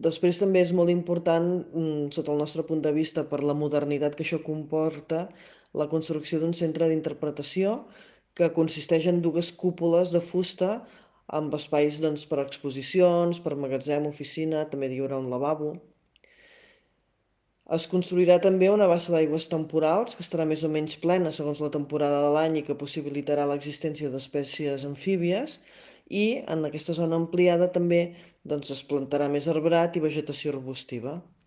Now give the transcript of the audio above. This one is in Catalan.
Després també és molt important, sota el nostre punt de vista, per la modernitat que això comporta, la construcció d'un centre d'interpretació que consisteix en dues cúpules de fusta amb espais doncs, per a exposicions, per magatzem, oficina, també hi haurà un lavabo. Es construirà també una bassa d'aigües temporals que estarà més o menys plena segons la temporada de l'any i que possibilitarà l'existència d'espècies amfíbies, i en aquesta zona ampliada també doncs, es plantarà més arbrat i vegetació arbustiva.